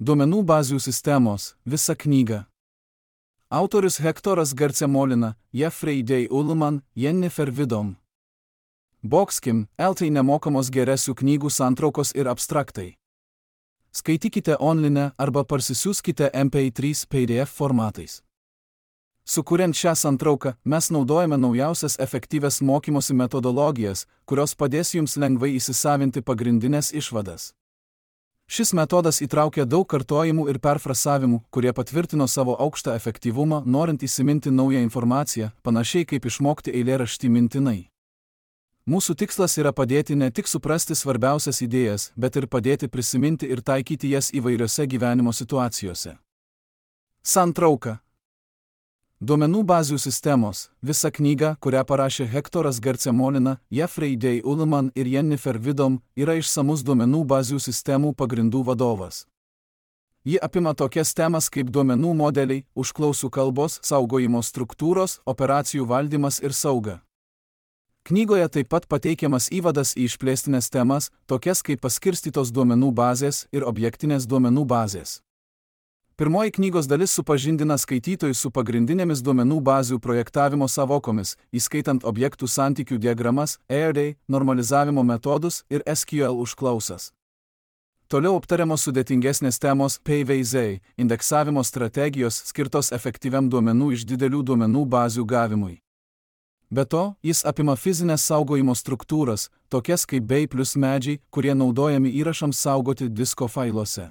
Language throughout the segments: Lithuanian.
Duomenų bazių sistemos, visa knyga. Autorius Hektoras Garcemolina, Jeffrey Day Ullman, Jennifer Vidom. Boxkim, LT nemokamos geresių knygų santraukos ir abstraktai. Skaitykite online arba parsisiųskite MP3 PDF formatais. Sukuriant šią santrauką, mes naudojame naujausias efektyvias mokymosi metodologijas, kurios padės jums lengvai įsisavinti pagrindinės išvadas. Šis metodas įtraukia daug kartojimų ir perfrasavimų, kurie patvirtino savo aukštą efektyvumą, norint įsiminti naują informaciją, panašiai kaip išmokti eilėraštį mintinai. Mūsų tikslas yra padėti ne tik suprasti svarbiausias idėjas, bet ir padėti prisiminti ir taikyti jas įvairiose gyvenimo situacijose. Santrauka. Duomenų bazių sistemos, visa knyga, kurią parašė Hektoras Garcemolina, Jeffrey Day Ullman ir Jennifer Vidom, yra išsamus duomenų bazių sistemų pagrindų vadovas. Ji apima tokias temas kaip duomenų modeliai, užklausų kalbos, saugojimo struktūros, operacijų valdymas ir sauga. Knygoje taip pat pateikiamas įvadas į išplėstinės temas, tokias kaip paskirstytos duomenų bazės ir objektinės duomenų bazės. Pirmoji knygos dalis supažindina skaitytojus su pagrindinėmis duomenų bazių projektavimo savokomis, įskaitant objektų santykių diagramas, array, normalizavimo metodus ir SQL užklausas. Toliau aptariamos sudėtingesnės temos PVZ, indeksavimo strategijos skirtos efektyviam duomenų iš didelių duomenų bazių gavimui. Be to, jis apima fizinės saugojimo struktūras, tokias kaip bei plus medžiai, kurie naudojami įrašams saugoti disko failuose.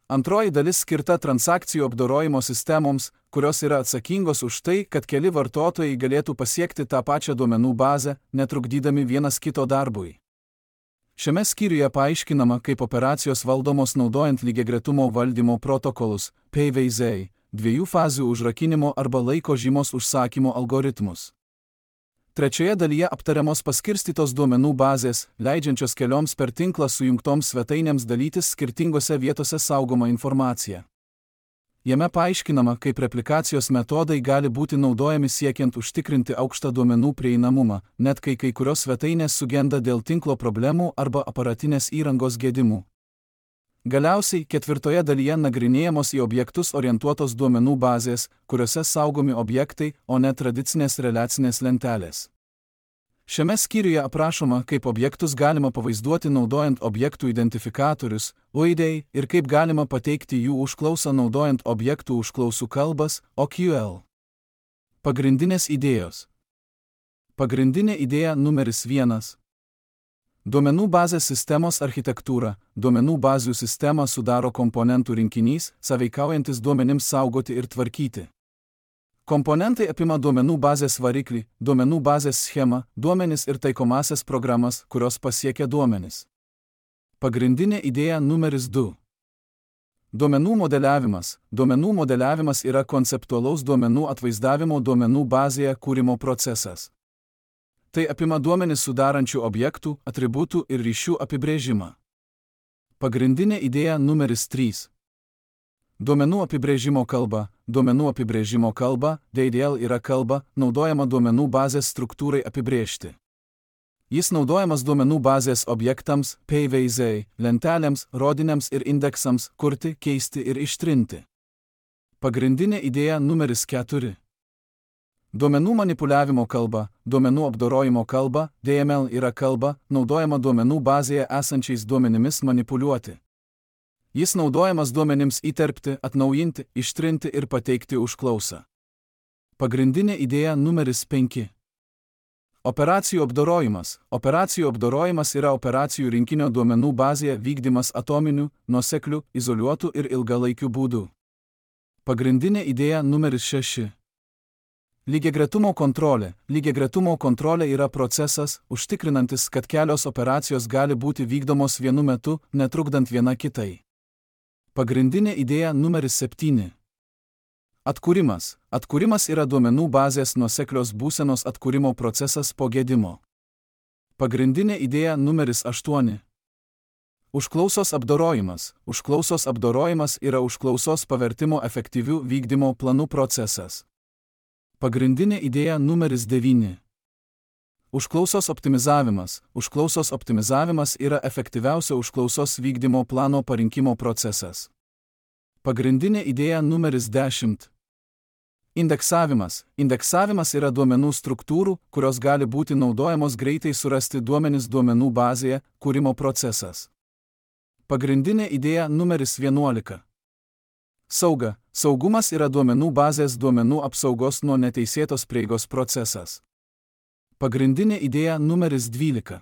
Antroji dalis skirta transakcijų apdorojimo sistemoms, kurios yra atsakingos už tai, kad keli vartotojai galėtų pasiekti tą pačią duomenų bazę, netrukdydami vienas kito darbui. Šiame skyriuje paaiškinama, kaip operacijos valdomos naudojant lygiagretumo valdymo protokolus, PVZ, dviejų fazių užrakinimo arba laiko žymos užsakymo algoritmus. Trečioje dalyje aptariamos paskirstytos duomenų bazės, leidžiančios kelioms per tinklą sujungtoms svetainėms dalytis skirtingose vietose saugomą informaciją. Jame paaiškinama, kaip replikacijos metodai gali būti naudojami siekiant užtikrinti aukštą duomenų prieinamumą, net kai kurios svetainės sugenda dėl tinklo problemų arba aparatinės įrangos gedimų. Galiausiai, ketvirtoje dalyje nagrinėjamos į objektus orientuotos duomenų bazės, kuriuose saugomi objektai, o ne tradicinės reliacinės lentelės. Šiame skyriuje aprašoma, kaip objektus galima pavaizduoti naudojant objektų identifikatorius, UID, ir kaip galima pateikti jų užklausą naudojant objektų užklausų kalbas, OQL. Pagrindinės idėjos. Pagrindinė idėja numeris 1. Duomenų bazės sistemos architektūra. Duomenų bazių sistemą sudaro komponentų rinkinys, sąveikaujantis duomenims saugoti ir tvarkyti. Komponentai apima duomenų bazės variklį, duomenų bazės schemą, duomenis ir taikomasias programas, kurios pasiekia duomenis. Pagrindinė idėja numeris 2. Duomenų modeliavimas. Duomenų modeliavimas yra konceptualaus duomenų atvaizdavimo duomenų bazėje kūrimo procesas. Tai apima duomenis sudarančių objektų, atributų ir ryšių apibrėžimą. Pagrindinė idėja numeris 3. Duomenų apibrėžimo kalba. Duomenų apibrėžimo kalba, DDL yra kalba, naudojama duomenų bazės struktūrai apibrėžti. Jis naudojamas duomenų bazės objektams, PVZ, lentelėms, rodiniams ir indeksams, kurti, keisti ir ištrinti. Pagrindinė idėja numeris 4. Duomenų manipuliavimo kalba. Duomenų apdorojimo kalba, DML yra kalba, naudojama duomenų bazėje esančiais duomenimis manipuliuoti. Jis naudojamas duomenims įterpti, atnaujinti, ištrinti ir pateikti užklausą. Pagrindinė idėja numeris 5. Operacijų apdorojimas. Operacijų apdorojimas yra operacijų rinkinio duomenų bazėje vykdymas atominiu, nuosekliu, izoliuotu ir ilgalaikiu būdu. Pagrindinė idėja numeris 6. Lygiagretumo kontrolė. Lygiagretumo kontrolė yra procesas, užtikrinantis, kad kelios operacijos gali būti vykdomos vienu metu, netrukdant viena kitai. Pagrindinė idėja numeris 7. Atkūrimas. Atkūrimas yra duomenų bazės nuoseklios būsenos atkūrimo procesas po gedimo. Pagrindinė idėja numeris 8. Užklausos apdorojimas. Užklausos apdorojimas yra užklausos pavertimo efektyvių vykdymo planų procesas. Pagrindinė idėja numeris 9. Užklausos optimizavimas. Užklausos optimizavimas yra efektyviausio užklausos vykdymo plano parinkimo procesas. Pagrindinė idėja numeris 10. Indeksavimas. Indeksavimas yra duomenų struktūrų, kurios gali būti naudojamos greitai surasti duomenis duomenų bazėje, kūrimo procesas. Pagrindinė idėja numeris 11. Sauga. Saugumas yra duomenų bazės duomenų apsaugos nuo neteisėtos prieigos procesas. Pagrindinė idėja numeris 12.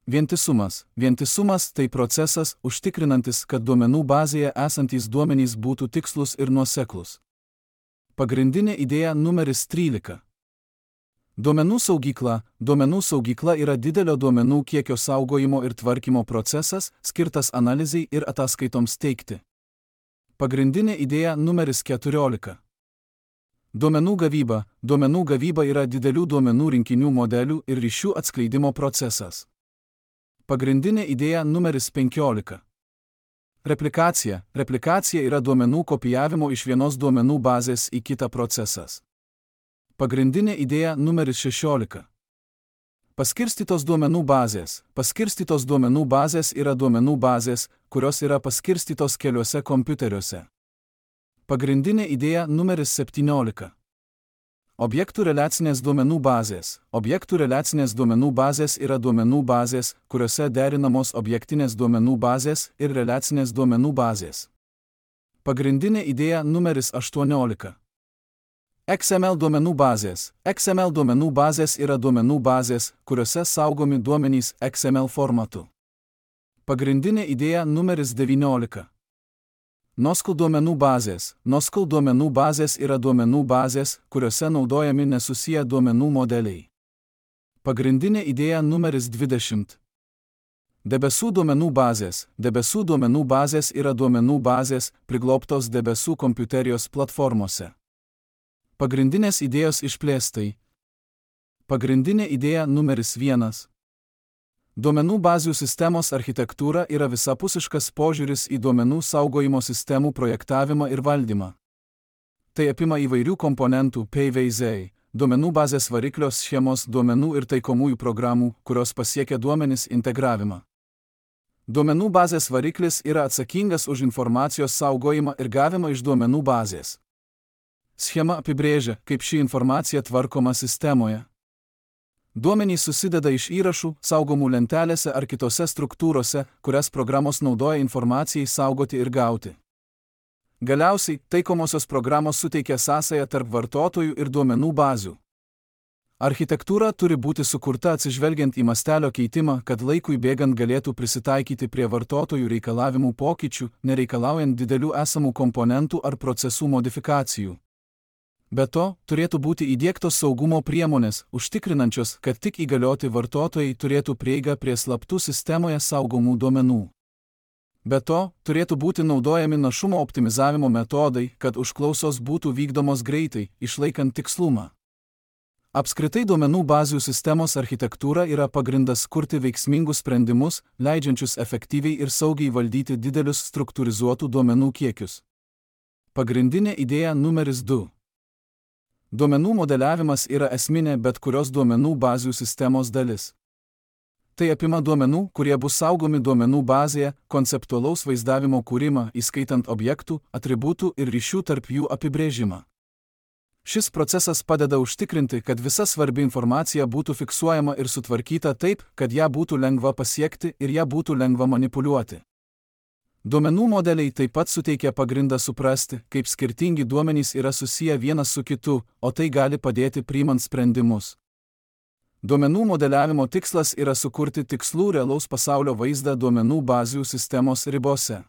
Vientisumas. Vientisumas tai procesas, užtikrinantis, kad duomenų bazėje esantys duomenys būtų tikslus ir nuoseklus. Pagrindinė idėja numeris 13. Duomenų saugykla. Duomenų saugykla yra didelio duomenų kiekio saugojimo ir tvarkymo procesas, skirtas analizai ir ataskaitoms teikti. Pagrindinė idėja numeris 14. Duomenų gavyba. Duomenų gavyba yra didelių duomenų rinkinių modelių ir ryšių atskleidimo procesas. Pagrindinė idėja numeris 15. Replikacija. Replikacija yra duomenų kopijavimo iš vienos duomenų bazės į kitą procesas. Pagrindinė idėja numeris 16. Paskirstytos duomenų bazės. Paskirstytos duomenų bazės yra duomenų bazės, kurios yra paskirstytos keliuose kompiuteriuose. Pagrindinė idėja numeris 17. Objektų reliacinės duomenų bazės. Objektų reliacinės duomenų bazės yra duomenų bazės, kuriuose derinamos objektinės duomenų bazės ir reliacinės duomenų bazės. Pagrindinė idėja numeris 18. XML duomenų bazės. XML duomenų bazės yra duomenų bazės, kuriuose saugomi duomenys XML formatu. Pagrindinė idėja numeris 19. NoSQL duomenų bazės. NoSQL duomenų bazės yra duomenų bazės, kuriuose naudojami nesusiję duomenų modeliai. Pagrindinė idėja numeris 20. Debesų duomenų bazės. Debesų duomenų bazės yra duomenų bazės, priglobtos debesų kompiuterijos platformose. Pagrindinės idėjos išplėstai. Pagrindinė idėja numeris 1. Duomenų bazių sistemos architektūra yra visapusiškas požiūris į duomenų saugojimo sistemų projektavimą ir valdymą. Tai apima įvairių komponentų PVZ, duomenų bazės variklios schemos duomenų ir taikomųjų programų, kurios pasiekia duomenis integravimą. Duomenų bazės variklis yra atsakingas už informacijos saugojimą ir gavimą iš duomenų bazės. Schema apibrėžia, kaip ši informacija tvarkoma sistemoje. Duomenys susideda iš įrašų, saugomų lentelėse ar kitose struktūrose, kurias programos naudoja informacijai saugoti ir gauti. Galiausiai, taikomosios programos suteikia sąsają tarp vartotojų ir duomenų bazių. Architektūra turi būti sukurta atsižvelgiant į mastelio keitimą, kad laikui bėgant galėtų prisitaikyti prie vartotojų reikalavimų pokyčių, nereikalaujant didelių esamų komponentų ar procesų modifikacijų. Be to, turėtų būti įdiegtos saugumo priemonės, užtikrinančios, kad tik įgalioti vartotojai turėtų prieigą prie slaptų sistemoje saugomų duomenų. Be to, turėtų būti naudojami našumo optimizavimo metodai, kad užklausos būtų vykdomos greitai, išlaikant tikslumą. Apskritai duomenų bazių sistemos architektūra yra pagrindas kurti veiksmingus sprendimus, leidžiančius efektyviai ir saugiai valdyti didelius struktūrizuotų duomenų kiekius. Pagrindinė idėja numeris 2. Duomenų modeliavimas yra esminė bet kurios duomenų bazių sistemos dalis. Tai apima duomenų, kurie bus saugomi duomenų bazėje, konceptualaus vaizdavimo kūrimą, įskaitant objektų, atributų ir ryšių tarp jų apibrėžimą. Šis procesas padeda užtikrinti, kad visa svarbi informacija būtų fiksuojama ir sutvarkyta taip, kad ją būtų lengva pasiekti ir ją būtų lengva manipuliuoti. Duomenų modeliai taip pat suteikia pagrindą suprasti, kaip skirtingi duomenys yra susiję vienas su kitu, o tai gali padėti priimant sprendimus. Duomenų modeliavimo tikslas yra sukurti tikslų realaus pasaulio vaizdą duomenų bazių sistemos ribose.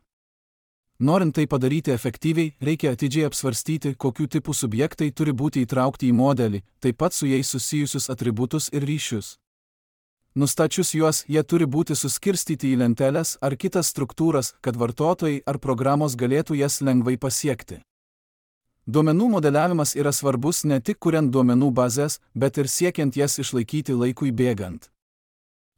Norint tai padaryti efektyviai, reikia atidžiai apsvarstyti, kokių tipų subjektai turi būti įtraukti į modelį, taip pat su jais susijusius atributus ir ryšius. Nustačius juos, jie turi būti suskirstyti į lenteles ar kitas struktūras, kad vartotojai ar programos galėtų jas lengvai pasiekti. Duomenų modeliavimas yra svarbus ne tik kuriant duomenų bazes, bet ir siekiant jas išlaikyti laikui bėgant.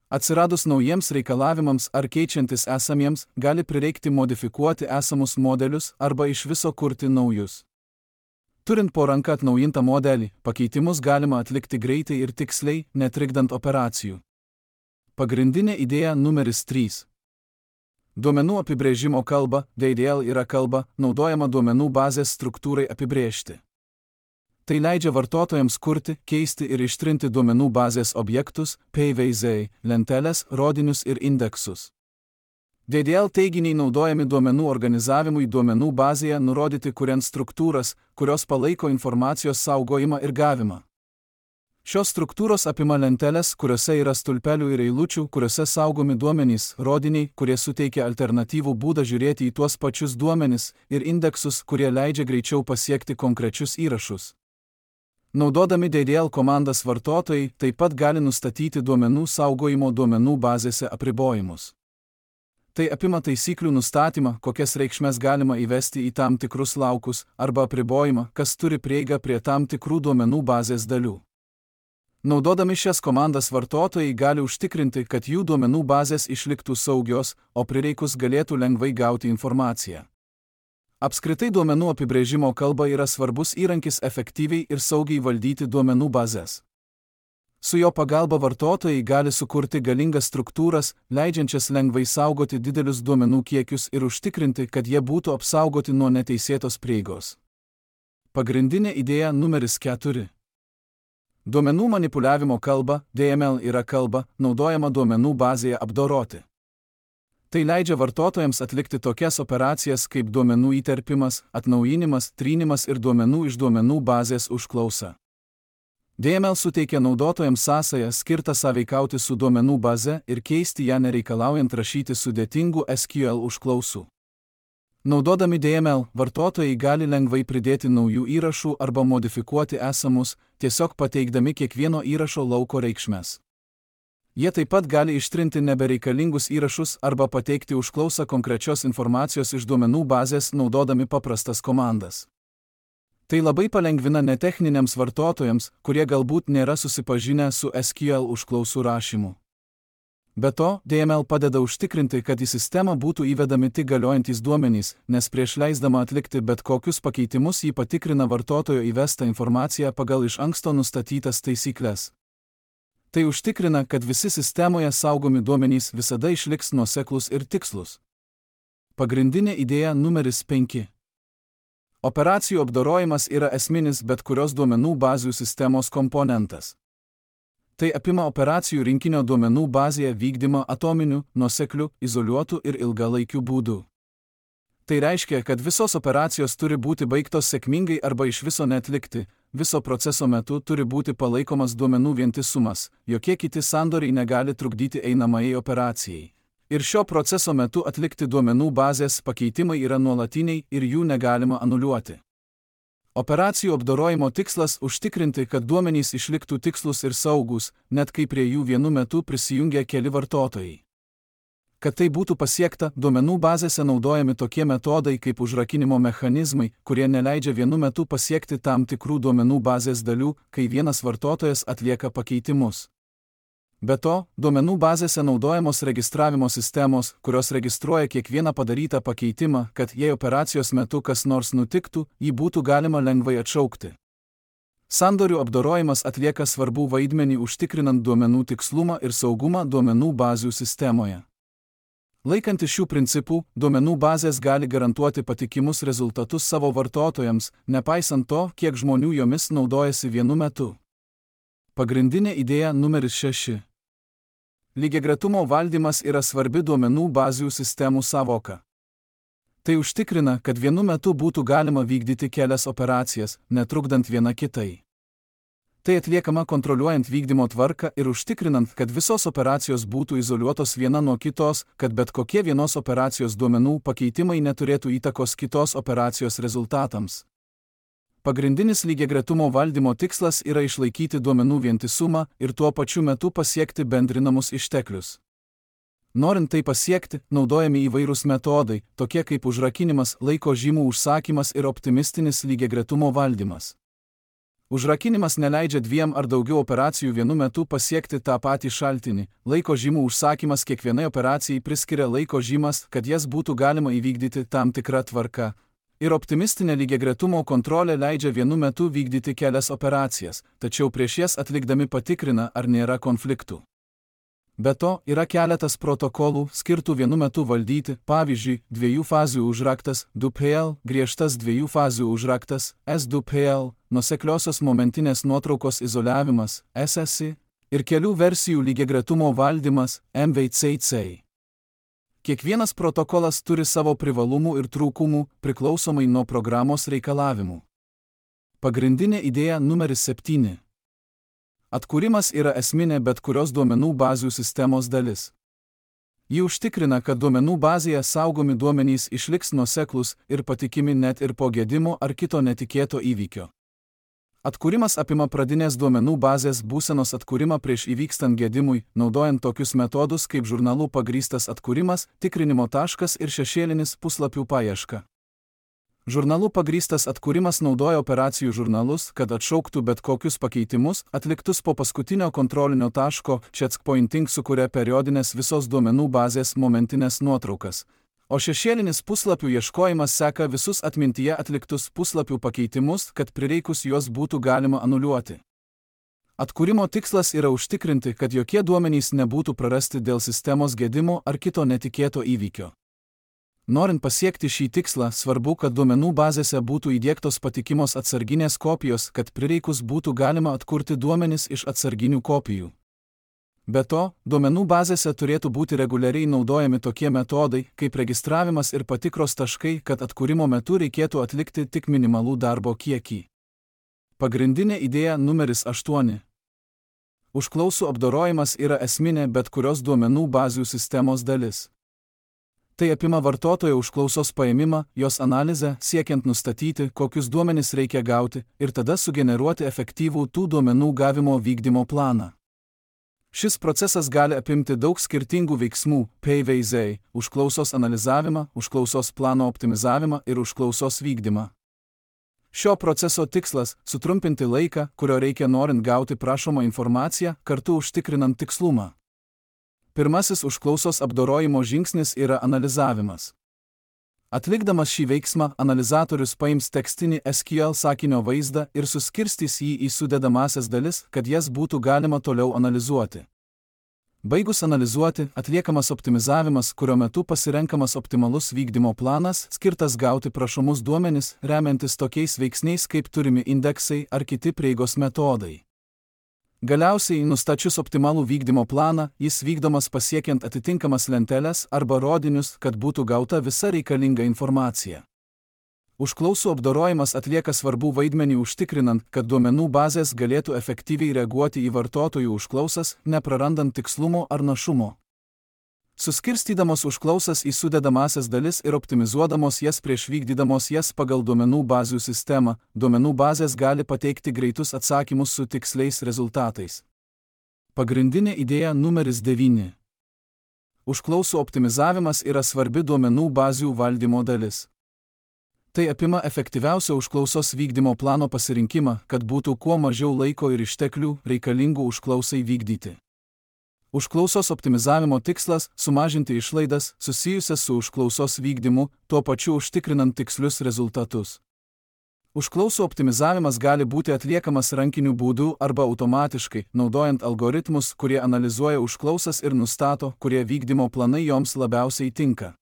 Atsiradus naujiems reikalavimams ar keičiantis esamiems, gali prireikti modifikuoti esamus modelius arba iš viso kurti naujus. Turint po ranka atnaujintą modelį, pakeitimus galima atlikti greitai ir tiksliai, netrikdant operacijų. Pagrindinė idėja numeris 3. Duomenų apibrėžimo kalba, DDL yra kalba, naudojama duomenų bazės struktūrai apibrėžti. Tai leidžia vartotojams kurti, keisti ir ištrinti duomenų bazės objektus, PVZ, lenteles, rodinius ir indeksus. DDL teiginiai naudojami duomenų organizavimui duomenų bazėje nurodyti kuriant struktūras, kurios palaiko informacijos saugojimą ir gavimą. Šios struktūros apima lenteles, kuriuose yra stulpelių ir eilučių, kuriuose saugomi duomenys, rodiniai, kurie suteikia alternatyvų būdą žiūrėti į tuos pačius duomenis, ir indeksus, kurie leidžia greičiau pasiekti konkrečius įrašus. Naudodami DDL komandas vartotojai taip pat gali nustatyti duomenų saugojimo duomenų bazėse apribojimus. Tai apima taisyklių nustatymą, kokias reikšmes galima įvesti į tam tikrus laukus, arba apribojimą, kas turi prieigą prie tam tikrų duomenų bazės dalių. Naudodami šias komandas vartotojai gali užtikrinti, kad jų duomenų bazės išliktų saugios, o prireikus galėtų lengvai gauti informaciją. Apskritai duomenų apibrėžimo kalba yra svarbus įrankis efektyviai ir saugiai valdyti duomenų bazės. Su jo pagalba vartotojai gali sukurti galingas struktūras, leidžiančias lengvai saugoti didelius duomenų kiekius ir užtikrinti, kad jie būtų apsaugoti nuo neteisėtos prieigos. Pagrindinė idėja numeris 4. Duomenų manipuliavimo kalba, DML yra kalba, naudojama duomenų bazėje apdoroti. Tai leidžia vartotojams atlikti tokias operacijas kaip duomenų įterpimas, atnaujinimas, trynimas ir duomenų iš duomenų bazės užklausa. DML suteikia naudotojams sąsają skirtą sąveikauti su duomenų baze ir keisti ją nereikalaujant rašyti sudėtingų SQL užklausų. Naudodami DML, vartotojai gali lengvai pridėti naujų įrašų arba modifikuoti esamus, tiesiog pateikdami kiekvieno įrašo lauko reikšmes. Jie taip pat gali ištrinti nebereikalingus įrašus arba pateikti užklausą konkrečios informacijos iš duomenų bazės naudodami paprastas komandas. Tai labai palengvina netechniniams vartotojams, kurie galbūt nėra susipažinę su SQL užklausų rašymu. Be to, DML padeda užtikrinti, kad į sistemą būtų įvedami tik galiojantys duomenys, nes prieš leisdama atlikti bet kokius pakeitimus jį patikrina vartotojo įvestą informaciją pagal iš anksto nustatytas taisyklės. Tai užtikrina, kad visi sistemoje saugomi duomenys visada išliks nuoseklūs ir tikslūs. Pagrindinė idėja numeris 5. Operacijų apdorojimas yra esminis bet kurios duomenų bazių sistemos komponentas. Tai apima operacijų rinkinio duomenų bazėje vykdymą atominiu, nuosekliu, izoliuotu ir ilgalaikiu būdu. Tai reiškia, kad visos operacijos turi būti baigtos sėkmingai arba iš viso neatlikti, viso proceso metu turi būti palaikomas duomenų vientisumas, jokie kiti sandoriai negali trukdyti einamajai operacijai. Ir šio proceso metu atlikti duomenų bazės pakeitimai yra nuolatiniai ir jų negalima anuliuoti. Operacijų apdorojimo tikslas užtikrinti, kad duomenys išliktų tikslūs ir saugus, net kai prie jų vienu metu prisijungia keli vartotojai. Kad tai būtų pasiekta, duomenų bazėse naudojami tokie metodai kaip užrakinimo mechanizmai, kurie neleidžia vienu metu pasiekti tam tikrų duomenų bazės dalių, kai vienas vartotojas atlieka pakeitimus. Be to, duomenų bazėse naudojamos registravimo sistemos, kurios registruoja kiekvieną padarytą pakeitimą, kad jei operacijos metu kas nors nutiktų, jį būtų galima lengvai atšaukti. Sandorių apdorojimas atlieka svarbų vaidmenį užtikrinant duomenų tikslumą ir saugumą duomenų bazių sistemoje. Laikantis šių principų, duomenų bazės gali garantuoti patikimus rezultatus savo vartotojams, nepaisant to, kiek žmonių jomis naudojasi vienu metu. Pagrindinė idėja numeris 6. Lygiagretumo valdymas yra svarbi duomenų bazių sistemų sąvoka. Tai užtikrina, kad vienu metu būtų galima vykdyti kelias operacijas, netrukdant viena kitai. Tai atliekama kontroliuojant vykdymo tvarką ir užtikrinant, kad visos operacijos būtų izoliuotos viena nuo kitos, kad bet kokie vienos operacijos duomenų pakeitimai neturėtų įtakos kitos operacijos rezultatams. Pagrindinis lygiagretumo valdymo tikslas yra išlaikyti duomenų vientisumą ir tuo pačiu metu pasiekti bendrinamus išteklius. Norint tai pasiekti, naudojami įvairūs metodai, tokie kaip užrakinimas, laiko žymų užsakymas ir optimistinis lygiagretumo valdymas. Užrakinimas neleidžia dviem ar daugiau operacijų vienu metu pasiekti tą patį šaltinį. Laiko žymų užsakymas kiekvienai operacijai priskiria laiko žymas, kad jas būtų galima įvykdyti tam tikrą tvarką. Ir optimistinė lygiagretumo kontrolė leidžia vienu metu vykdyti kelias operacijas, tačiau prieš jas atlikdami patikrina, ar nėra konfliktų. Be to, yra keletas protokolų skirtų vienu metu valdyti, pavyzdžiui, 2 fazių užraktas 2PL, griežtas 2 fazių užraktas S2PL, nuosekliosios momentinės nuotraukos izoliavimas SSI ir kelių versijų lygiagretumo valdymas MVCC. Kiekvienas protokolas turi savo privalumų ir trūkumų priklausomai nuo programos reikalavimų. Pagrindinė idėja numeris 7. Atkūrimas yra esminė bet kurios duomenų bazių sistemos dalis. Ji užtikrina, kad duomenų bazėje saugomi duomenys išliks nuoseklūs ir patikimi net ir po gedimo ar kito netikėto įvykio. Atkūrimas apima pradinės duomenų bazės būsenos atkūrimą prieš įvykstant gedimui, naudojant tokius metodus kaip žurnalų pagrįstas atkūrimas, tikrinimo taškas ir šešėlinis puslapių paieška. Žurnalų pagrįstas atkūrimas naudoja operacijų žurnalus, kad atšauktų bet kokius pakeitimus, atliktus po paskutinio kontrolinio taško, checkpointing sukuria periodinės visos duomenų bazės momentinės nuotraukas, o šešėlinis puslapių ieškojimas seka visus atmintyje atliktus puslapių pakeitimus, kad prireikus juos būtų galima anuliuoti. Atkūrimo tikslas yra užtikrinti, kad jokie duomenys nebūtų prarasti dėl sistemos gedimo ar kito netikėto įvykio. Norint pasiekti šį tikslą, svarbu, kad duomenų bazėse būtų įdiegtos patikimos atsarginės kopijos, kad prireikus būtų galima atkurti duomenis iš atsarginių kopijų. Be to, duomenų bazėse turėtų būti reguliariai naudojami tokie metodai, kaip registravimas ir patikros taškai, kad atkūrimo metu reikėtų atlikti tik minimalų darbo kiekį. Pagrindinė idėja numeris 8. Užklausų apdorojimas yra esminė bet kurios duomenų bazių sistemos dalis. Tai apima vartotojo užklausos paėmimą, jos analizę, siekiant nustatyti, kokius duomenis reikia gauti, ir tada sugeneruoti efektyvų tų duomenų gavimo vykdymo planą. Šis procesas gali apimti daug skirtingų veiksmų – PVZ, užklausos analizavimą, užklausos plano optimizavimą ir užklausos vykdymą. Šio proceso tikslas – sutrumpinti laiką, kurio reikia norint gauti prašomą informaciją, kartu užtikrinant tikslumą. Pirmasis užklausos apdorojimo žingsnis yra analizavimas. Atlikdamas šį veiksmą, analizatorius paims tekstinį SQL sakinio vaizdą ir suskirstys jį į sudedamąsias dalis, kad jas būtų galima toliau analizuoti. Baigus analizuoti, atliekamas optimizavimas, kurio metu pasirenkamas optimalus vykdymo planas, skirtas gauti prašomus duomenis, remiantis tokiais veiksniais kaip turimi indeksai ar kiti prieigos metodai. Galiausiai, nustačius optimalų vykdymo planą, jis vykdomas pasiekiant atitinkamas lenteles arba rodinius, kad būtų gauta visa reikalinga informacija. Užklausų apdorojimas atlieka svarbų vaidmenį užtikrinant, kad duomenų bazės galėtų efektyviai reaguoti į vartotojų užklausas, neprarandant tikslumo ar našumo. Suskirstydamos užklausas į sudedamąsias dalis ir optimizuodamos jas prieš vykdydamos jas pagal duomenų bazių sistemą, duomenų bazės gali pateikti greitus atsakymus su tiksliais rezultatais. Pagrindinė idėja numeris 9. Užklausų optimizavimas yra svarbi duomenų bazių valdymo dalis. Tai apima efektyviausio užklausos vykdymo plano pasirinkimą, kad būtų kuo mažiau laiko ir išteklių reikalingų užklausai vykdyti. Užklausos optimizavimo tikslas – sumažinti išlaidas susijusias su užklausos vykdymu, tuo pačiu užtikrinant tikslius rezultatus. Užklausų optimizavimas gali būti atliekamas rankiniu būdu arba automatiškai, naudojant algoritmus, kurie analizuoja užklausas ir nustato, kurie vykdymo planai joms labiausiai tinka.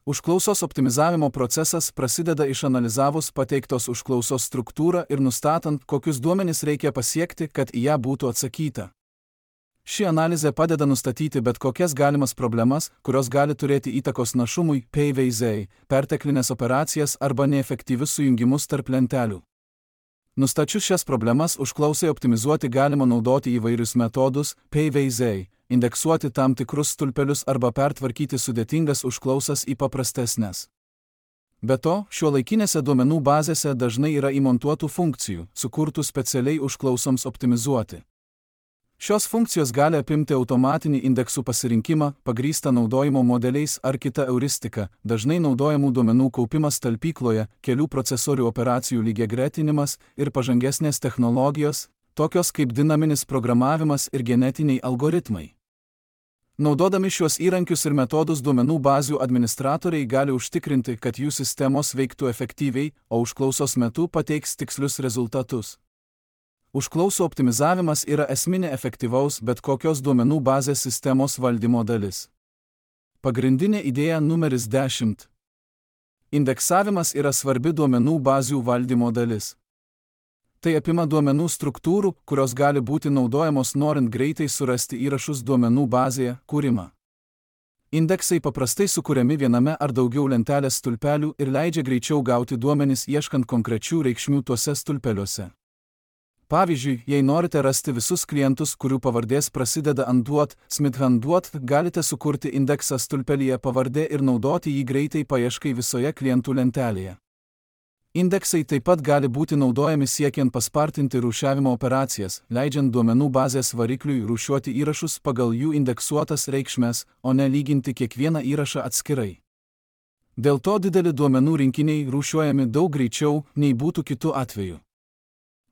Užklausos optimizavimo procesas prasideda išanalizavus pateiktos užklausos struktūrą ir nustatant, kokius duomenis reikia pasiekti, kad į ją būtų atsakyta. Ši analizė padeda nustatyti bet kokias galimas problemas, kurios gali turėti įtakos našumui, PVZ, perteklinės operacijas arba neefektyvius sujungimus tarp lentelių. Nustačius šias problemas, užklausai optimizuoti galima naudoti įvairius metodus, PVZ, indeksuoti tam tikrus stulpelius arba pertvarkyti sudėtingas užklausas į paprastesnes. Be to, šiuolaikinėse duomenų bazėse dažnai yra įmontuotų funkcijų, sukurtų specialiai užklausoms optimizuoti. Šios funkcijos gali apimti automatinį indeksų pasirinkimą, pagrįstą naudojimo modeliais ar kitą euristiką, dažnai naudojamų duomenų kaupimas talpykloje, kelių procesorių operacijų lygiagretinimas ir pažangesnės technologijos, tokios kaip dinaminis programavimas ir genetiniai algoritmai. Naudodami šiuos įrankius ir metodus duomenų bazių administratoriai gali užtikrinti, kad jų sistemos veiktų efektyviai, o užklausos metu pateiks tikslius rezultatus. Užklausų optimizavimas yra esminė efektyvaus bet kokios duomenų bazės sistemos valdymo dalis. Pagrindinė idėja numeris 10. Indeksavimas yra svarbi duomenų bazių valdymo dalis. Tai apima duomenų struktūrų, kurios gali būti naudojamos norint greitai surasti įrašus duomenų bazėje, kūrimą. Indeksai paprastai sukuriami viename ar daugiau lentelės stulpelių ir leidžia greičiau gauti duomenis ieškant konkrečių reikšmių tuose stulpeliuose. Pavyzdžiui, jei norite rasti visus klientus, kurių pavardės prasideda ant duot, Smith & duot, galite sukurti indeksą stulpelyje pavardė ir naudoti jį greitai paieškai visoje klientų lentelėje. Indeksai taip pat gali būti naudojami siekiant paspartinti rūšiavimo operacijas, leidžiant duomenų bazės varikliui rūšiuoti įrašus pagal jų indeksuotas reikšmes, o ne lyginti kiekvieną įrašą atskirai. Dėl to dideli duomenų rinkiniai rūšiuojami daug greičiau, nei būtų kitu atveju.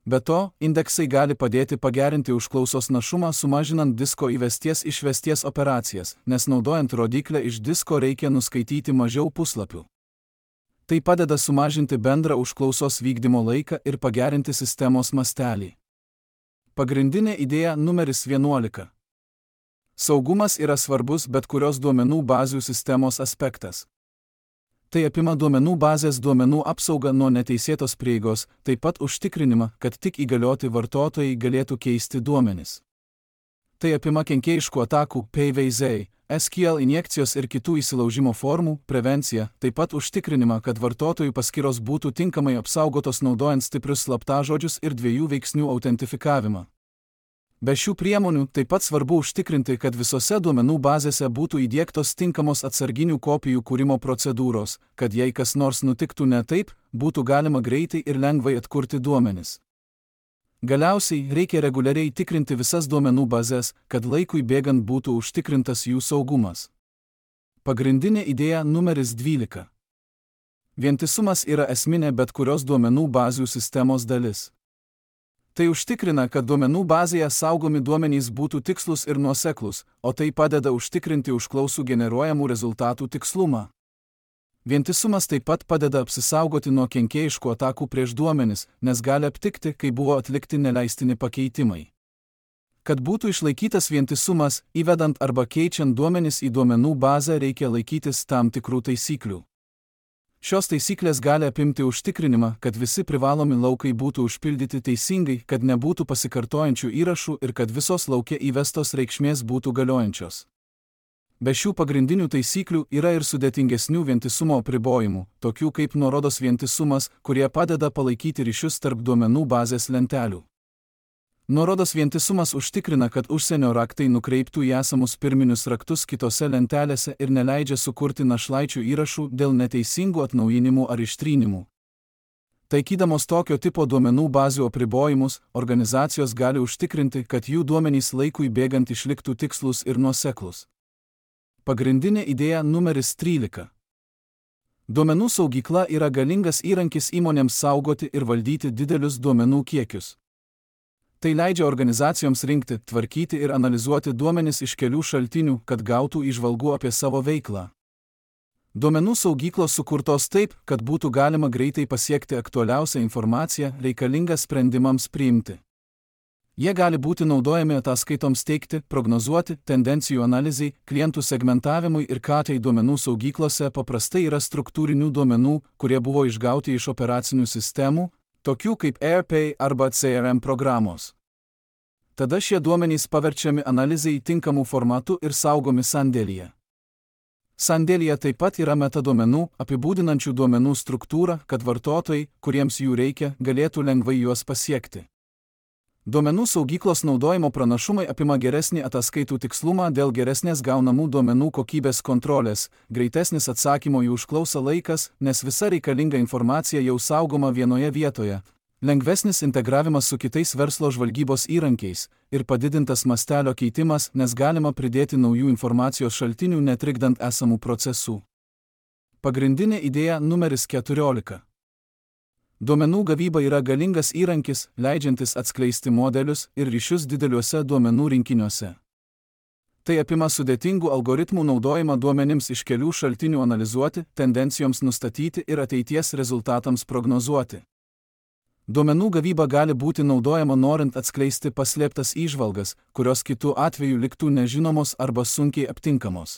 Be to, indeksai gali padėti pagerinti užklausos našumą sumažinant disko įvesties-išvesties operacijas, nes naudojant rodiklę iš disko reikia nuskaityti mažiau puslapių. Tai padeda sumažinti bendrą užklausos vykdymo laiką ir pagerinti sistemos mastelį. Pagrindinė idėja numeris 11. Saugumas yra svarbus bet kurios duomenų bazių sistemos aspektas. Tai apima duomenų bazės duomenų apsaugą nuo neteisėtos prieigos, taip pat užtikrinimą, kad tik įgalioti vartotojai galėtų keisti duomenis. Tai apima kenkėjiškų atakų, PVZ, SQL injekcijos ir kitų įsilaužimo formų, prevenciją, taip pat užtikrinimą, kad vartotojų paskyros būtų tinkamai apsaugotos naudojant stiprius slaptažodžius ir dviejų veiksnių autentifikavimą. Be šių priemonių taip pat svarbu užtikrinti, kad visose duomenų bazėse būtų įdiegtos tinkamos atsarginių kopijų kūrimo procedūros, kad jei kas nors nutiktų ne taip, būtų galima greitai ir lengvai atkurti duomenis. Galiausiai reikia reguliariai tikrinti visas duomenų bazės, kad laikui bėgant būtų užtikrintas jų saugumas. Pagrindinė idėja numeris 12. Vientisumas yra esminė bet kurios duomenų bazių sistemos dalis. Tai užtikrina, kad duomenų bazėje saugomi duomenys būtų tikslus ir nuoseklus, o tai padeda užtikrinti užklausų generuojamų rezultatų tikslumą. Vientisumas taip pat padeda apsisaugoti nuo kenkėjiškų atakų prieš duomenis, nes gali aptikti, kai buvo atlikti neleistini pakeitimai. Kad būtų išlaikytas vientisumas, įvedant arba keičiant duomenis į duomenų bazę reikia laikytis tam tikrų taisyklių. Šios taisyklės gali apimti užtikrinimą, kad visi privalomi laukai būtų užpildyti teisingai, kad nebūtų pasikartojančių įrašų ir kad visos lauke įvestos reikšmės būtų galiojančios. Be šių pagrindinių taisyklių yra ir sudėtingesnių vientisumo apribojimų, tokių kaip nuorodos vientisumas, kurie padeda palaikyti ryšius tarp duomenų bazės lentelių. Nuorodos vientisumas užtikrina, kad užsienio raktai nukreiptų į esamus pirminius raktus kitose lentelėse ir neleidžia sukurti našlaičių įrašų dėl neteisingų atnaujinimų ar ištrynimų. Taikydamos tokio tipo duomenų bazių apribojimus, organizacijos gali užtikrinti, kad jų duomenys laikui bėgant išliktų tikslus ir nuoseklus. Pagrindinė idėja numeris 13. Duomenų saugykla yra galingas įrankis įmonėms saugoti ir valdyti didelius duomenų kiekius. Tai leidžia organizacijoms rinkti, tvarkyti ir analizuoti duomenis iš kelių šaltinių, kad gautų įžvalgų apie savo veiklą. Duomenų saugyklos sukurtos taip, kad būtų galima greitai pasiekti aktualiausią informaciją reikalingą sprendimams priimti. Jie gali būti naudojami ataskaitoms teikti, prognozuoti, tendencijų analizai, klientų segmentavimui ir KT duomenų saugyklose paprastai yra struktūrinių duomenų, kurie buvo išgauti iš operacinių sistemų, tokių kaip ERP arba CRM programos. Tada šie duomenys paverčiami analizai tinkamų formatų ir saugomi sandėlyje. Sandėlyje taip pat yra metaduomenų, apibūdinančių duomenų struktūrą, kad vartotojai, kuriems jų reikia, galėtų lengvai juos pasiekti. Duomenų saugyklos naudojimo pranašumai apima geresnį ataskaitų tikslumą dėl geresnės gaunamų duomenų kokybės kontrolės, greitesnis atsakymo į užklausą laikas, nes visa reikalinga informacija jau saugoma vienoje vietoje, lengvesnis integravimas su kitais verslo žvalgybos įrankiais ir padidintas mastelio keitimas, nes galima pridėti naujų informacijos šaltinių netrikdant esamų procesų. Pagrindinė idėja numeris 14. Duomenų gavyba yra galingas įrankis, leidžiantis atskleisti modelius ir ryšius dideliuose duomenų rinkiniuose. Tai apima sudėtingų algoritmų naudojimą duomenims iš kelių šaltinių analizuoti, tendencijoms nustatyti ir ateities rezultatams prognozuoti. Duomenų gavyba gali būti naudojama norint atskleisti paslėptas įžvalgas, kurios kitų atveju liktų nežinomos arba sunkiai aptinkamos.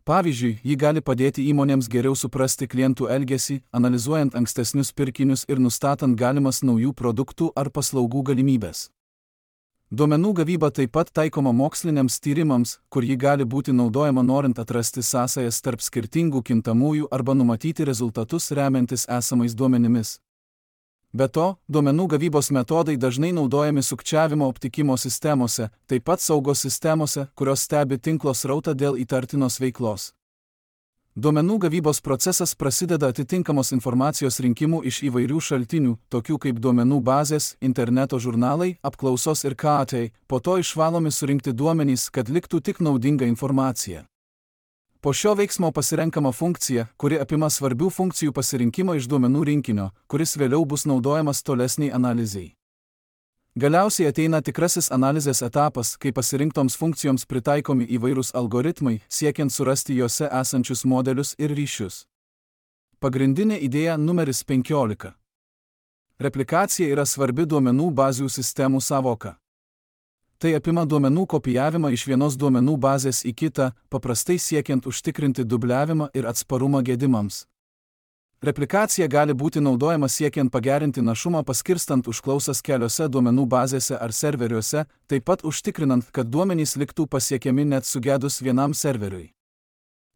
Pavyzdžiui, ji gali padėti įmonėms geriau suprasti klientų elgesį, analizuojant ankstesnius pirkinius ir nustatant galimas naujų produktų ar paslaugų galimybės. Duomenų gavyba taip pat taikoma moksliniams tyrimams, kur ji gali būti naudojama norint atrasti sąsajas tarp skirtingų kintamųjų arba numatyti rezultatus remiantis esamais duomenimis. Be to, duomenų gavybos metodai dažnai naudojami sukčiavimo aptikimo sistemose, taip pat saugos sistemose, kurios stebi tinklo srautą dėl įtartinos veiklos. Duomenų gavybos procesas prasideda atitinkamos informacijos rinkimu iš įvairių šaltinių, tokių kaip duomenų bazės, interneto žurnalai, apklausos ir KAT, po to išvalomi surinkti duomenys, kad liktų tik naudinga informacija. Po šio veiksmo pasirenkama funkcija, kuri apima svarbių funkcijų pasirinkimą iš duomenų rinkinio, kuris vėliau bus naudojamas tolesniai analizei. Galiausiai ateina tikrasis analizės etapas, kai pasirinktoms funkcijoms pritaikomi įvairūs algoritmai, siekiant surasti juose esančius modelius ir ryšius. Pagrindinė idėja numeris 15. Replikacija yra svarbi duomenų bazių sistemų sąvoka. Tai apima duomenų kopijavimą iš vienos duomenų bazės į kitą, paprastai siekiant užtikrinti dubliavimą ir atsparumą gedimams. Replikacija gali būti naudojama siekiant pagerinti našumą paskirstant užklausas keliose duomenų bazėse ar serveriuose, taip pat užtikrinant, kad duomenys liktų pasiekiami net sugedus vienam serveriui.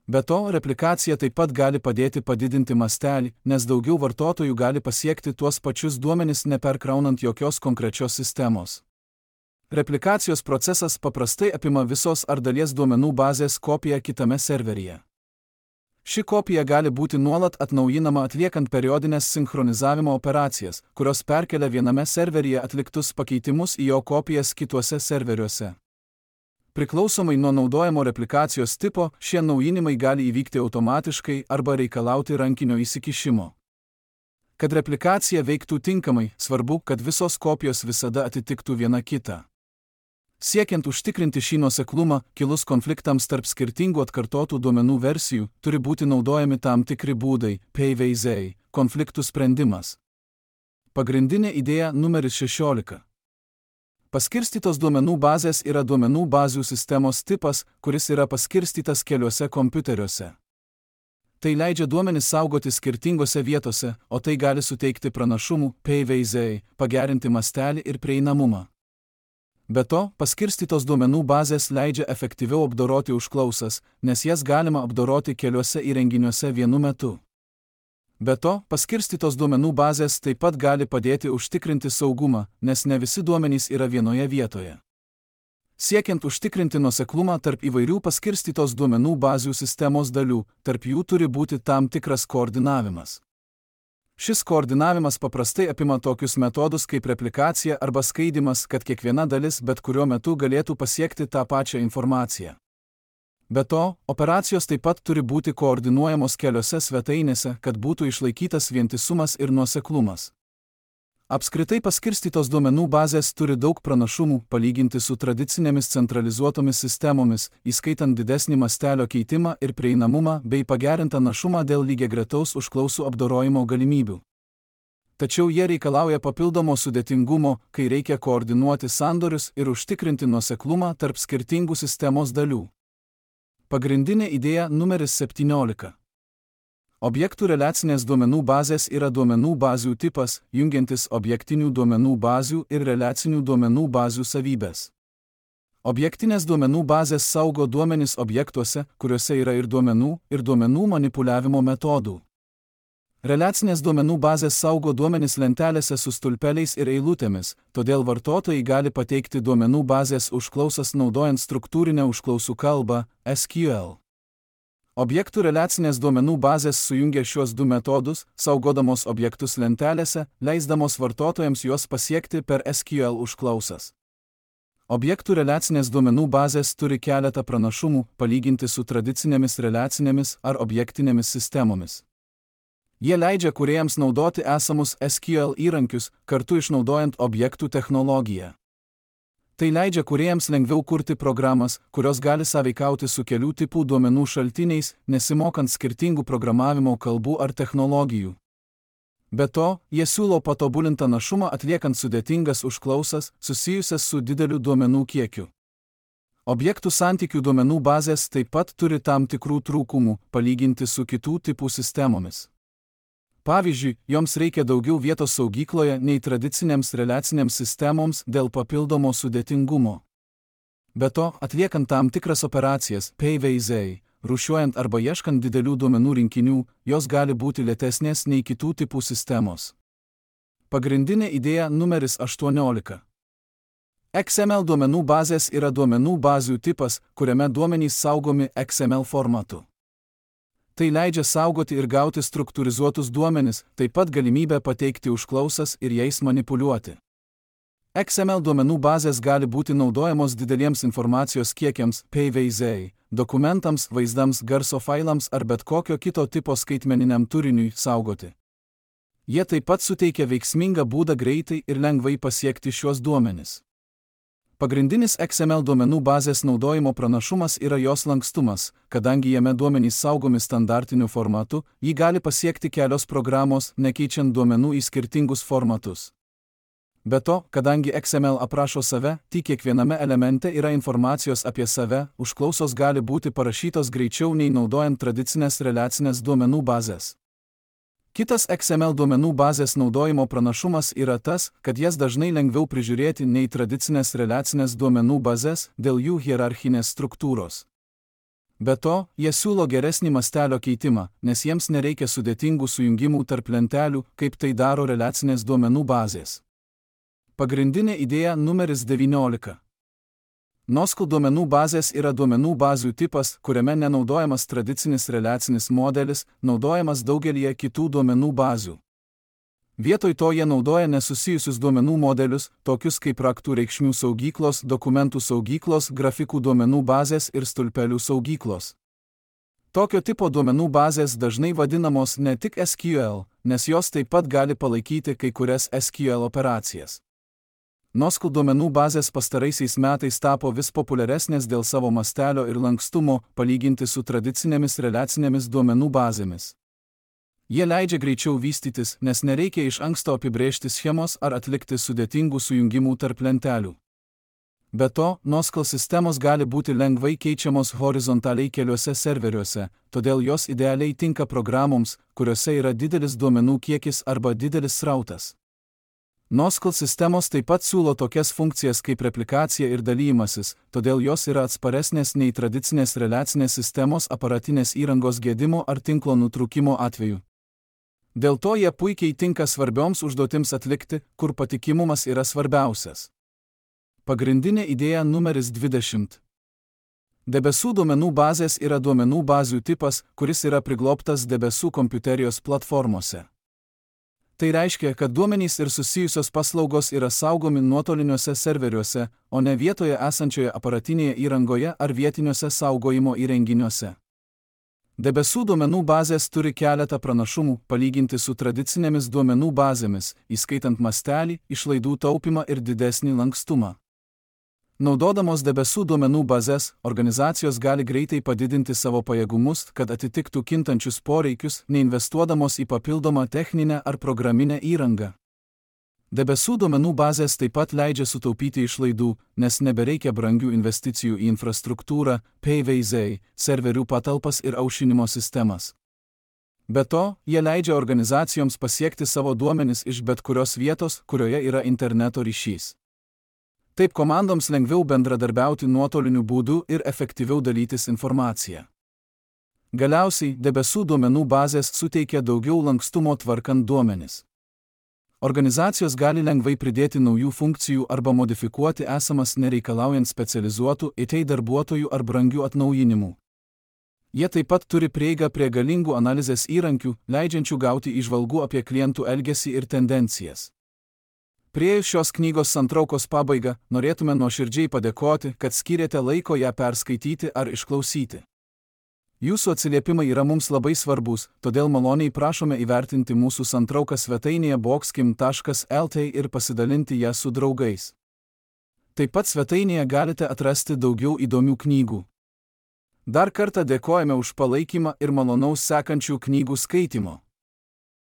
Be to, replikacija taip pat gali padėti padidinti mastelį, nes daugiau vartotojų gali pasiekti tuos pačius duomenys neperkraunant jokios konkrečios sistemos. Replikacijos procesas paprastai apima visos ar dalies duomenų bazės kopiją kitame serveryje. Ši kopija gali būti nuolat atnaujinama atliekant periodinės sinchronizavimo operacijas, kurios perkelia viename serveryje atliktus pakeitimus į jo kopijas kituose serveriuose. Priklausomai nuo naudojamo replikacijos tipo, šie naujinimai gali įvykti automatiškai arba reikalauti rankinio įsikišimo. Kad replikacija veiktų tinkamai, svarbu, kad visos kopijos visada atitiktų viena kitą. Siekiant užtikrinti šį nuoseklumą, kilus konfliktams tarp skirtingų atkartotų duomenų versijų, turi būti naudojami tam tikri būdai, PVZ, konfliktų sprendimas. Pagrindinė idėja numeris 16. Paskirstytos duomenų bazės yra duomenų bazių sistemos tipas, kuris yra paskirstytas keliuose kompiuteriuose. Tai leidžia duomenis saugoti skirtingose vietose, o tai gali suteikti pranašumų, PVZ, pagerinti mastelį ir prieinamumą. Be to, paskirstytos duomenų bazės leidžia efektyviau apdoroti užklausas, nes jas galima apdoroti keliuose įrenginiuose vienu metu. Be to, paskirstytos duomenų bazės taip pat gali padėti užtikrinti saugumą, nes ne visi duomenys yra vienoje vietoje. Siekiant užtikrinti nuoseklumą tarp įvairių paskirstytos duomenų bazių sistemos dalių, tarp jų turi būti tam tikras koordinavimas. Šis koordinavimas paprastai apima tokius metodus kaip replikacija arba skaidymas, kad kiekviena dalis bet kuriuo metu galėtų pasiekti tą pačią informaciją. Be to, operacijos taip pat turi būti koordinuojamos keliose svetainėse, kad būtų išlaikytas vientisumas ir nuoseklumas. Apskritai paskirstytos duomenų bazės turi daug pranašumų palyginti su tradicinėmis centralizuotomis sistemomis, įskaitant didesnį mastelio keitimą ir prieinamumą bei pagerintą našumą dėl lygiagretaus užklausų apdorojimo galimybių. Tačiau jie reikalauja papildomo sudėtingumo, kai reikia koordinuoti sandorius ir užtikrinti nuoseklumą tarp skirtingų sistemos dalių. Pagrindinė idėja numeris 17. Objektų reliacinės duomenų bazės yra duomenų bazių tipas, jungiantis objektinių duomenų bazių ir reliacinių duomenų bazių savybės. Objektinės duomenų bazės saugo duomenis objektuose, kuriuose yra ir duomenų manipuliavimo metodų. Reliacinės duomenų bazės saugo duomenis lentelėse su stulpeliais ir eilutėmis, todėl vartotojai gali pateikti duomenų bazės užklausas naudojant struktūrinę užklausų kalbą, SQL. Objektų reliacinės duomenų bazės sujungia šiuos du metodus, saugodamos objektus lentelėse, leisdamos vartotojams juos pasiekti per SQL užklausas. Objektų reliacinės duomenų bazės turi keletą pranašumų, palyginti su tradicinėmis reliacinėmis ar objektinėmis sistemomis. Jie leidžia kūrėjams naudoti esamus SQL įrankius, kartu išnaudojant objektų technologiją. Tai leidžia kūrėjams lengviau kurti programas, kurios gali sąveikauti su kelių tipų duomenų šaltiniais, nesimokant skirtingų programavimo kalbų ar technologijų. Be to, jie siūlo patobulintą našumą atliekant sudėtingas užklausas susijusias su dideliu duomenų kiekiu. Objektų santykių duomenų bazės taip pat turi tam tikrų trūkumų, palyginti su kitų tipų sistemomis. Pavyzdžiui, joms reikia daugiau vietos saugykloje nei tradicinėms reliacinėms sistemoms dėl papildomo sudėtingumo. Be to, atliekant tam tikras operacijas, PVZ, rūšiuojant arba ieškant didelių duomenų rinkinių, jos gali būti lėtesnės nei kitų tipų sistemos. Pagrindinė idėja numeris 18. XML duomenų bazės yra duomenų bazių tipas, kuriame duomenys saugomi XML formatu. Tai leidžia saugoti ir gauti struktūrizuotus duomenis, taip pat galimybę pateikti užklausas ir jais manipuliuoti. XML duomenų bazės gali būti naudojamos dideliems informacijos kiekiams, PVZ, dokumentams, vaizdams, garso failams ar bet kokio kito tipo skaitmeniniam turiniui saugoti. Jie taip pat suteikia veiksmingą būdą greitai ir lengvai pasiekti šiuos duomenis. Pagrindinis XML duomenų bazės naudojimo pranašumas yra jos lankstumas, kadangi jame duomenys saugomi standartiniu formatu, jį gali pasiekti kelios programos, nekeičiant duomenų į skirtingus formatus. Be to, kadangi XML aprašo save, tik kiekviename elemente yra informacijos apie save, užklausos gali būti parašytos greičiau nei naudojant tradicinės reliacinės duomenų bazės. Kitas XML duomenų bazės naudojimo pranašumas yra tas, kad jas dažnai lengviau prižiūrėti nei tradicinės reliacinės duomenų bazės dėl jų hierarchinės struktūros. Be to, jie siūlo geresnį mastelio keitimą, nes jiems nereikia sudėtingų sujungimų tarp lentelių, kaip tai daro reliacinės duomenų bazės. Pagrindinė idėja numeris 19. NoSQL duomenų bazės yra duomenų bazių tipas, kuriame nenaudojamas tradicinis reliacinis modelis, naudojamas daugelįje kitų duomenų bazių. Vietoj to jie naudoja nesusijusius duomenų modelius, tokius kaip raktų reikšmių saugyklos, dokumentų saugyklos, grafikų duomenų bazės ir stulpelių saugyklos. Tokio tipo duomenų bazės dažnai vadinamos ne tik SQL, nes jos taip pat gali palaikyti kai kurias SQL operacijas. NoSQL duomenų bazės pastaraisiais metais tapo vis populiaresnės dėl savo mastelio ir lankstumo, palyginti su tradicinėmis reliacinėmis duomenų bazėmis. Jie leidžia greičiau vystytis, nes nereikia iš anksto apibrėžti schemos ar atlikti sudėtingų sujungimų tarp lentelių. Be to, NoSQL sistemos gali būti lengvai keičiamos horizontaliai keliuose serveriuose, todėl jos idealiai tinka programoms, kuriuose yra didelis duomenų kiekis arba didelis srautas. NoSQL sistemos taip pat siūlo tokias funkcijas kaip replikacija ir dalymasis, todėl jos yra atsparesnės nei tradicinės reliacinės sistemos aparatinės įrangos gedimo ar tinklo nutrūkimo atveju. Dėl to jie puikiai tinka svarbioms užduotims atlikti, kur patikimumas yra svarbiausias. Pagrindinė idėja numeris 20. Debesų duomenų bazės yra duomenų bazių tipas, kuris yra priglobtas debesų kompiuterijos platformose. Tai reiškia, kad duomenys ir susijusios paslaugos yra saugomi nuotoliniuose serveriuose, o ne vietoje esančioje aparatinėje įrangoje ar vietiniuose saugojimo įrenginiuose. Debesų duomenų bazės turi keletą pranašumų, palyginti su tradicinėmis duomenų bazėmis, įskaitant mastelį, išlaidų taupymą ir didesnį lankstumą. Naudodamos debesų duomenų bazės, organizacijos gali greitai padidinti savo pajėgumus, kad atitiktų kintančius poreikius, neinvestuodamos į papildomą techninę ar programinę įrangą. Debesų duomenų bazės taip pat leidžia sutaupyti išlaidų, nes nebereikia brangių investicijų į infrastruktūrą, PVZ, serverių patalpas ir aušinimo sistemas. Be to, jie leidžia organizacijoms pasiekti savo duomenis iš bet kurios vietos, kurioje yra interneto ryšys. Taip komandoms lengviau bendradarbiauti nuotoliniu būdu ir efektyviau dalytis informaciją. Galiausiai, debesų duomenų bazės suteikia daugiau lankstumo tvarkant duomenis. Organizacijos gali lengvai pridėti naujų funkcijų arba modifikuoti esamas nereikalaujant specializuotų IT darbuotojų ar brangių atnaujinimų. Jie taip pat turi prieigą prie galingų analizės įrankių, leidžiančių gauti įžvalgų apie klientų elgesį ir tendencijas. Priėjus šios knygos santraukos pabaigą, norėtume nuoširdžiai padėkoti, kad skyrėte laiko ją perskaityti ar išklausyti. Jūsų atsiliepimai yra mums labai svarbus, todėl maloniai prašome įvertinti mūsų santrauką svetainėje boxkim.lt ir pasidalinti ją su draugais. Taip pat svetainėje galite atrasti daugiau įdomių knygų. Dar kartą dėkojame už palaikymą ir malonaus sekančių knygų skaitimo.